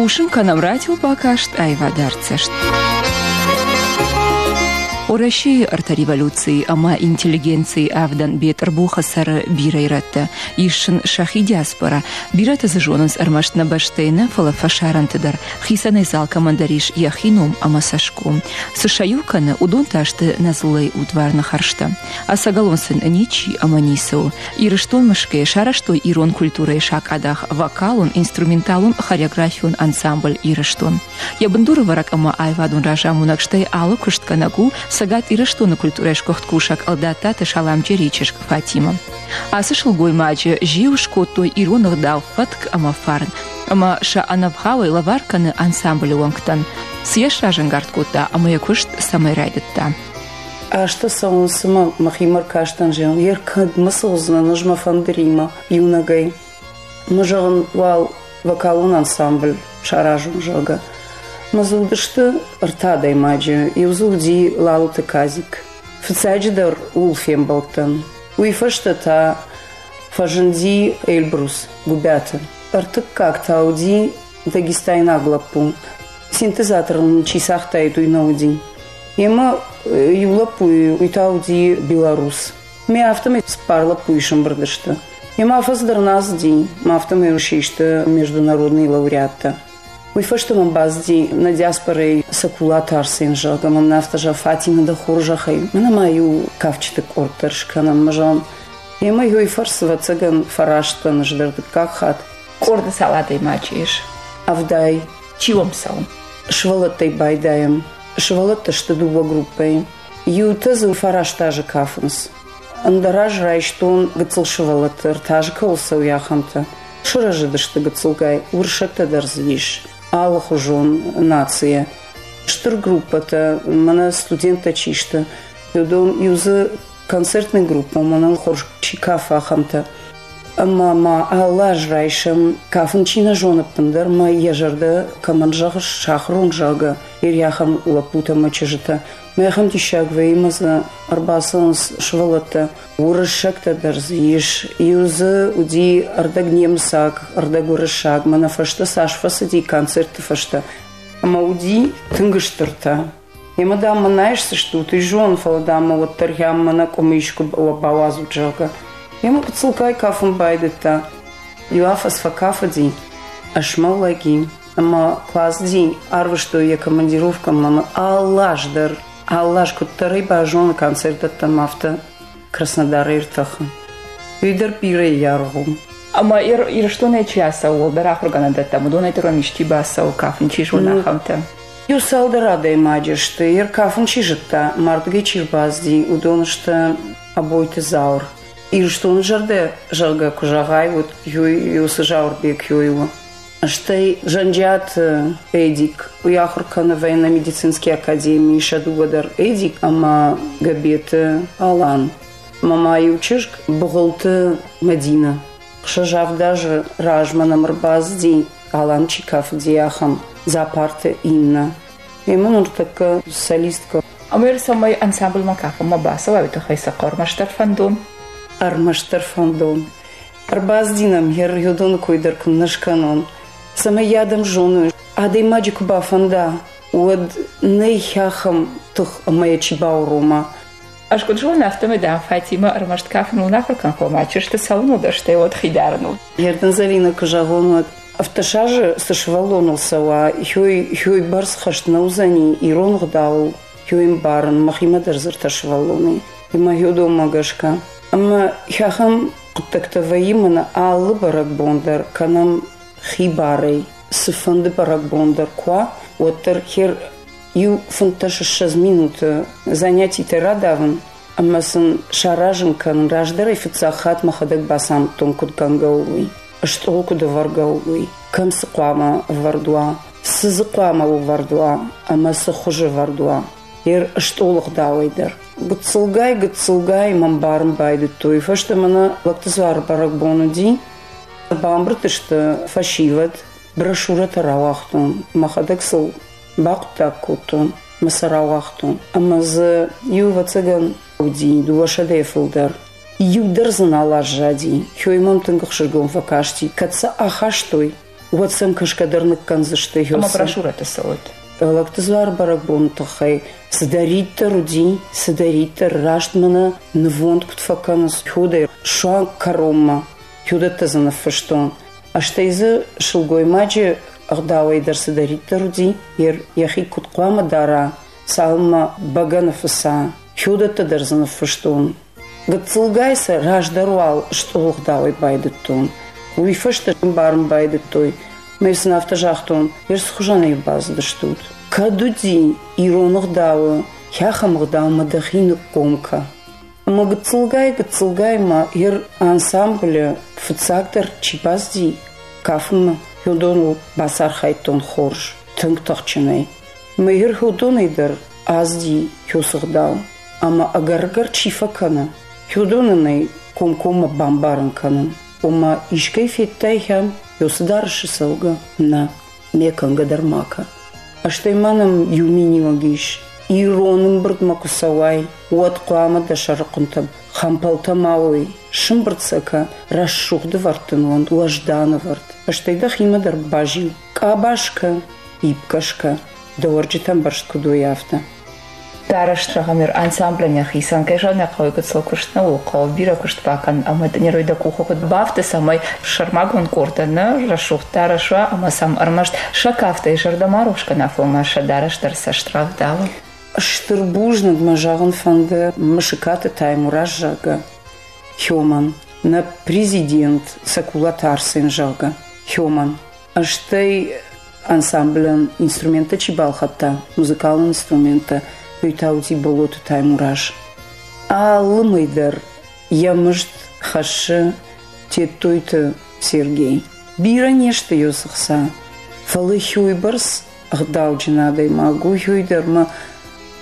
Хъусын кӕнӕм радиобакаст аивадӕрдзӕст. Уӕрӕсейы ӕртӕ революцийы ӕмӕ интеллигенцийы авдӕн Бетъырбухы цӕры бирӕ ирӕттӕ. Ис сын сӕхи диаспора. Бирӕтӕ дзы зонынц ӕрмӕст нӕ бӕстӕйы нӕ, фӕлӕ фӕсарӕнты дӕр. Хицӕнӕй дзы алкӕмӕн дӕр ис йӕхи ном ӕмӕ цӕсгом. Цы сӕ иу кӕны, уыдон та сты нӕ дзыллӕйы удварны хӕрзтӕ. Ӕцӕгӕлон сын ничи ӕмӕ ницы у. Ирыстон мысгӕйӕ сарӕзтой ирон культурӕйы сакъадах вокалон, инструменталон, хореографион ансамбль «Ирыстон». Йӕ бындурӕвӕрӕг ӕмӕ аивадон разамонӕг, стӕй алы куыстгӕнӕг у Цӕгат Ирыстоны культурӕйы сгуыхт кусӕг Ӕлдаттаты Саламджерийы чызг Фатимӕ. Ацы сылгоймаджы зиу скодтой ирон ӕгъдау, фӕтк ӕмӕ фарн, ӕмӕ сӕ ӕнӕвгъауӕй лӕвар кӕны ансамблы уӕнгтӕн. Цы йӕ сразӕнгард кодта ӕмӕ йӕ куыст цӕмӕй райдыдта? Азтӕ цӕуынц, цыма мӕхимӕ ркастӕн, зӕгъын, йе ркӕдмӕ цӕудзынӕн ӕз мӕ фӕндыримӕ иунӕгӕй. Мӕ зӕгъын, уал вокалон ансамбль саразон, зӕгъгӕ. Мӕ дзы уыдысты ӕртӕ адӕймаджы. Иу дзы уыди Лалыты Казик. Фыццаджыдӕр ууыл фембӕлдтӕн. Уый фӕстӕ та фӕзынди Эльбрус Гуыбиаты. Ӕртыккаг та уыди дагестайнаг лӕппу. Синтезатор ын чи цагътаид, уый нӕ уыди. Йемӕ иу лӕппуйы, уый та уыди белорус. Ме афтӕмӕй цыппар лӕппуйы сӕмбырд сты. Йемӕ афӕдз дӕр нӕ ацыди, мӕ афтӕмӕй систы международный лауреаттӕ. Уый фӕстӕ мӕм бацыди нӕ диаспорӕйы Сакулаты Арсен, зӕгъгӕ, мӕм афтӕ зӕгъ, Фатимӕ, дӕ хорзӕхӕй, мӕнӕ ма иу кафджыты къорд дӕр скӕнӕм, мӕ зӕгъын. Йемӕ уый фӕрцы, ӕвӕццӕгӕн, фӕраст дӕн ӕз дӕр дыккаг хатт. Къорды цал адӕймаджы ис? Авдай. Чи уӕм цӕуы? Сывӕллӕттӕй байдайӕм. Сывӕллӕттӕ сты дыууӕ группӕйы. Иутӕ дзы фараст азы кафынц. Ӕндӕр аз райстон гыццыл сывӕллӕтты, ӕртӕ азы кӕуыл цӕуы, ахӕмтӕ. Сырӕзыдысты гыццылгай, уырыссӕгтӕ дӕр дзы ис, алыхуызон нацийӕ. Стыр группӕтӕ, мӕнӕ студенттӕ чи сты, уыдон иу дзы концертный группӕ, мӕнӕн хорз чи кафы, ахӕмтӕ. Ӕмӕ ма алы аз райсӕм, кафын чи нӕ зоны ӕппындӕр, мӕ йӕ зӕрдӕ кӕмӕн зӕгъы, сахуырон, зӕгъгӕ, ахӕм лӕппутӕ ӕмӕ чызджытӕ. Мӕ ахӕм диссаг вӕййы, ӕмӕ дзы ӕрбацӕуынц сывӕллӕттӕ. Уырыссӕгтӕ дӕр дзы ис. Иу дзы уыди ӕрдӕг немыцаг, ӕрдӕг уырыссаг. Мӕнӕ фӕстӕ цас фӕцыди концертты фӕстӕ. Ӕмӕ уыди тынг стыртӕ. Емӕ, дам, мӕ нӕ айсдзыстут, уый зон, фӕлӕ, дам, мӕ уӕддӕр хӕм мӕнӕ къуымы искуы бауадзут, зӕгъгӕ. Емӕ гыццылгай кафын байдыдта. Иу афӕдз фӕкафыди, ӕсмӕллӕг и, ӕмӕ классди арвыстой йӕ командировкӕмӕ ӕмӕ алы аз дӕр, алы аз куыддӕр ӕй базоны концерт дӕттӕм, афтӕ Краснодарӕй ӕртӕхы. Уый дӕр бирӕ аргъ у. Ӕмӕ Ирыстонӕй чи ацӕуы, уӕлдӕр ахуыргӕнӕндӕттӕм, уыдонӕй дӕр уӕм исчи бацӕуы, кафын чи зоны, ахӕмтӕ? Иу цалдӕр адӕймаджы сты, йе ркафын чи зыдта, мардгӕй чи рбацыди, уыдон сты Абойты Зауыр. Ирыстоны зӕрдӕ, зӕгъгӕ, куы зӕгъай, уӕд уыцы Зауырбег ёй у. Стӕй Зӕнджиаты Эдик, уый ахуыр кӕны военно-медицинский академийы, сӕ дыууӕ дӕр Эдик ӕмӕ Габеты Алан. Ӕмӕ ма иу чызг Быгъуылты Мӕдинӕ. Хсӕз-авд азы размӕ нӕм ӕрбацыди, Алан чи кафыди, ахӕм Дзапарты Иннӕ. Емӕ ныртӕккӕ солисткӕ. Ӕмӕ цӕмӕй ансамблмӕ кафынмӕ бацӕуай, уый тыххӕй цы хъӕуы ӕрмӕстдӕр фӕндон? Ӕрмӕстдӕр фӕндон. Ӕрбацыди нӕм йӕ уыдоны кой дӕр куыннӕ скӕнон, цӕмӕй йӕ адӕм зоной. Адӕймаджы куы бафӕнда, уӕд нӕй ахӕм тых ӕмӕ йӕ чи баурома. Ӕз куыд зонын, афтӕмӕй, дам, Фатимӕ ӕрмӕст кафыныл нӕ ахуыр кӕн, фӕлӕ ма чызджыты цӕуыныл дӕр, стӕй уӕд хи дарыныл. Ердын Зӕринӕ куы зӕгъон, уӕд ӕвддӕс азы цы сывӕллоныл цӕуа, хёй бӕрц хӕст нӕ уыдзӕни ирон ӕгъдауыл, хёй ӕмбарын, мӕхимӕ дӕр дзырдта сывӕллонӕй. Ӕмӕ хёдонмӕ гӕсгӕ. Ӕмӕ ахӕм хъуыддӕгтӕ вӕййы мӕнӕ алы бӕрӕгбон дӕр кӕнӕм хибарӕй. Цыфӕнды бӕрӕгбон дӕр куы уа, уӕддӕр хер иу 25 минуты занятитӕ радавын ӕмӕ сын саразын кӕнын раздӕрӕй фыццаг хатт мӕхӕдӕг бацамыдтон, куыд кӕнгӕ у, уый, стъол куыд ӕвӕргӕ у, уый, кӕм цы хъуамӕ ӕвӕрд уа, цы дзы хъуамӕ ӕвӕрд уа ӕмӕ цы хуызы ӕвӕрд уа. Йе стъолы гъдауӕй дӕр. Гыццылгай-гыццылгай мӕм барын байдыдтой. Фӕстӕмӕ нӕ лӕгты дзуары бӕрӕгбон уыди. Бамбырд сты фӕсивӕд, брошюрӕтӕ рауагътон, мӕхӕдӕг сыл бахъуыддаг кодтон мӕ сӕ рауагътон. Ӕмӕ дзы иу, ӕвӕццӕгӕн, уыди дыууӕсӕдӕйы фылдӕр. Иу дӕр дзы нал аззади. Хёй мӕм тынг ӕхсызгон фӕкасти, кӕд сӕ ахастой, Уӕд сӕм кӕсгӕ дӕр ныккӕндзысты. Ӕмӕ брошюрӕтӕ цӕуӕд. Лӕгты дзуар бӕрӕгбоны тыххӕй цыдӕриддӕр уыди, цыдӕриддӕр раст мӕнӕ нывонд куыд фӕкӕнынц, уыдӕй суанг кӕронмӕ уыдӕттӕ дзы ныффыстон. Стӕй дзы сылгоймаджы ӕгъдауӕй дӕр цыдӕриддӕр уыди, йӕхи куыд хъуамӕ дара, цалынмӕ бӕгӕны фыца, уыдӕттӕ дӕр дзы ныффыстон. Гыццылгай сӕ раздӕр уал стъолыгъдауӕй байдыдтон. Уый фӕстӕ ӕмбарын байдыдтой. Мӕ сын афтӕ загътон, ӕз цы хуызӕнӕй бацыдыстут? Кӕд уыди ирон ӕгъдауы, ахӕм ӕгъдаумӕ дӕхи ныкком кӕ. Ӕмӕ гыццылгай-гыццылгай ма йӕ ансамблы фыццагдӕр чи бацыди кафынмӕ, уыдоныл бацархайдтон хорз, тынг тыхджынӕй. Мӕ уыдонӕй дӕр азди уыцы ӕгъдау. Ӕмӕ ӕгӕр-ӕгӕр чи фӕкӕны, уыдонӕн ӕй комкоммӕ бамбарын кӕнын. Ома искӕй федтай хӕм, уыцы дарӕсы цӕугӕ? Нӕ, ме кӕнгӕ дӕр ма кӕ. Стӕй ма нӕм иу миниуӕг ис. Ирон ӕмбырдмӕ куы цӕуай, уӕд хъуамӕ дӕ сӕрыхъуынтӕ хӕмпӕлтӕ ма уой, сымбырд сӕ кӕ, рӕсугъд ӕвӕрд дын уӕнт, уӕздан ӕвӕрд. Стӕй дӕхимӕ дӕр базил, къабаз кӕ, ибкӕ скӕ, дӕ уӕрджытӕ ӕмбӕрзт куыд уой, афтӕ. Дарӕс зӕгъӕм, ансамблӕн йӕхицӕн, кӕй зӕгъын ӕй хъӕуы, гыццыл куыст нӕ у, хъӕуы бирӕ куыст бакӕнын ӕмӕ дын дӕ къухы куыд бафты, цӕмӕй сӕрмагонд къордтӕ нӕ рӕсугъд дарӕс уа ӕмӕ сӕм ӕрмӕст сӕ кафтӕй зӕрдӕ ма рухс кӕна, фӕлӕ ма сӕ дарӕс дӕр цӕст рӕвдауы. Стыр бузныг мӕ зӕгъын фӕнды Мысыкаты Таймураз, зӕгъгӕ, Хёман, нӕ президент Цӕкулаты Арсен, зӕгъгӕ, Хёман. Стӕй ансамблӕн инструменттӕ чи балхӕдта, музыкалон инструменттӕ, уый та уыди Боллоты Таймураз. Алы мӕй дӕр йӕ мызд хӕссы Тедтойты Сергей. Бирӕ не сты йӕ хца, фӕлӕ уыйбӕрц ӕгъдауджын адӕймаг у, уый дӕр ма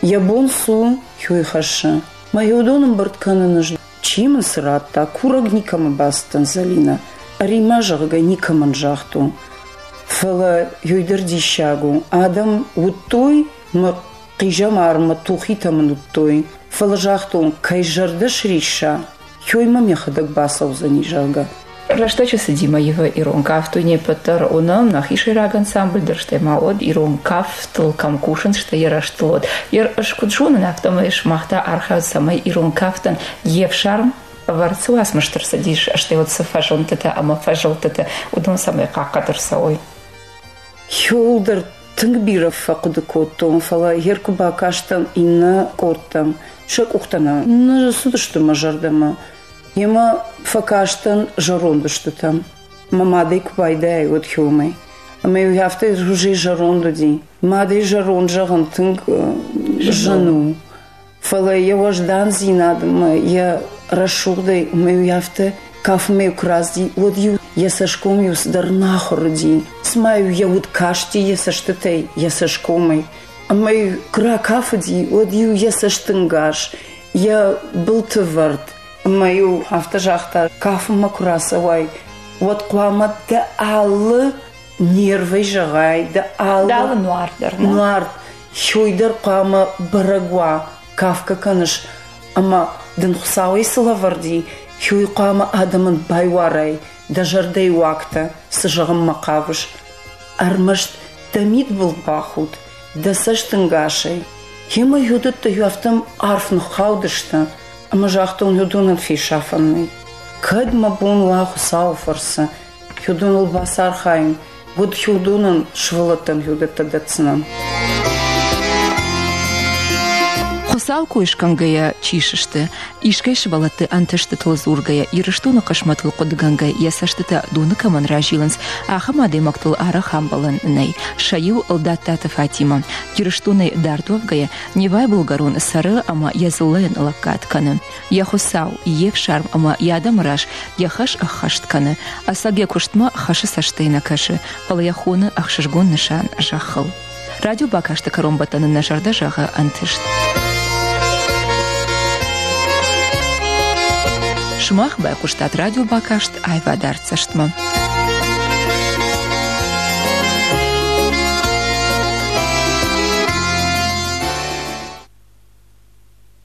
йӕ бон цы у, уый хӕссы. Мӕ уыдон ӕмбырд кӕнын чи мын цы радта, курӕг никӕмӕ бацыдтӕн, Зӕлинӕ. Ӕри-ма, зӕгъгӕ, никӕмӕн загътон. Фӕлӕ уый дӕр диссаг у. Адӕм уыдтой мӕ хъизӕмар, мӕ тухитӕ мын уыдтой. Фӕлӕ загътон, кӕй зӕрдӕ срисса, уый мӕм йӕхӕдӕг бацӕудзӕни, зӕгъгӕ. Рӕстӕджы цыдимӕ ивы ирон кафт не ппӕт дӕр уынӕм, нӕхи сӕйраг ансамбль дӕр, стӕй ма уӕд ирон кафтыл кӕм кусынц, стӕй йӕ рӕзтыл уӕд. Ӕз куыд зонын, афтӕмӕй сымах та архайут, цӕмӕй ирон кафтӕн йе фсарм ӕвӕрд цы уацмысты рцыдис, стӕй уӕд цы фӕзындтытӕ ӕмӕ фӕзылдтытӕ, уыдон цӕмӕй хъахъхъӕд ӕрцӕуой. Иууылдӕр тынг бирӕ фӕхъуыды кодтон, фӕлӕ йе ркуы бакастӕн иннӕ къордтӕм, сӕ къухтӕ нӕ цыдысты мӕ зӕрдӕмӕ. Йемӕ фӕкастӕн зӕронд устытӕм. Мӕ мадӕй куы байдайай, уӕд хиуымӕй. Ӕмӕ-иу афтӕ уже зӕронд уыди. Мадӕй зӕронд зӕгъын тынг зын у. Фӕлӕ йӕ уӕздандзинад ӕмӕ йӕ рӕсугъдӕй ӕмӕ-иу афтӕ кафынмӕ куы рацыди, уӕд-иу йӕ цӕсгом-иу цыдӕр нахуыр уыди. Цыма-иу йӕ уд касти йӕ цӕстытӕй, йӕ цӕсгомӕй. Ӕмӕ-иу куы ракафыди, уӕд-иу йӕ цӕстӕнгас, йӕ былты вӕрд. Ӕмӕ-иу афтӕ загъта, кафынмӕ куы рацӕуай, уӕд хъуамӕ дӕ алы нервӕй зӕгъай, дӕ алы алы нуар дӕр. Нуар, уый дӕр хъуамӕ бӕрӕг уа, кафгӕ кӕныс, ӕмӕ дын Хуыцауӕй цы лӕвӕрд и, уый хъуамӕ адӕмӕн байуарай, дӕ зӕрдӕйы уагтӕ, цы зӕгъынмӕ хъавыс. Ӕрмӕст дӕ мидбыл бахуд, дӕ цӕстӕнгасӕй. Йемӕ уыдӕттӕ афтӕ арф ныххаудысты, ӕмӕ загътон, уыдонӕн фесафӕн нӕй. Кӕд мӕ бон уа Хуыцауы фӕрцы, уыдоныл бацархайын, уӕд уыдонӕн сывӕллӕттӕн уыдӕттӕ дӕтдзынӕн. Хуыцау кой скӕнгӕйӕ чи сысты, искӕй сывӕллӕтты ӕнтыстытыл дзургӕйӕ Ирыстоны хъысмӕтыл хъуыдыгӕнгӕ йӕ цӕстытӕ доны кӕмӕн разилынц, ахӕм адӕймӕгтыл арӕх ӕмбӕлӕн нӕй. Сӕ иу Ӕлдаттаты Фатимӕ. Ирыстонӕй дард уӕвгӕйӕ, Невайы былгӕрон цӕры ӕмӕ йӕ дзыллӕйӕн лӕггад кӕны. Йӕ Хуыцау, йе фсарм ӕмӕ йӕ адӕмы раз йӕ хӕс ӕххӕст кӕны. Ӕцӕг йӕ куыстмӕ хӕсы цӕстӕй нӕ кӕсы, фӕлӕ йӕ хоны ӕхсызгон нысан зӕххыл. Радиобакасты кӕронбӕттӕны нӕ зӕрдӕ зӕгъы ӕнтыст. Сымах байхъуыстат радиобакаст аивадӕрдзӕстмӕ.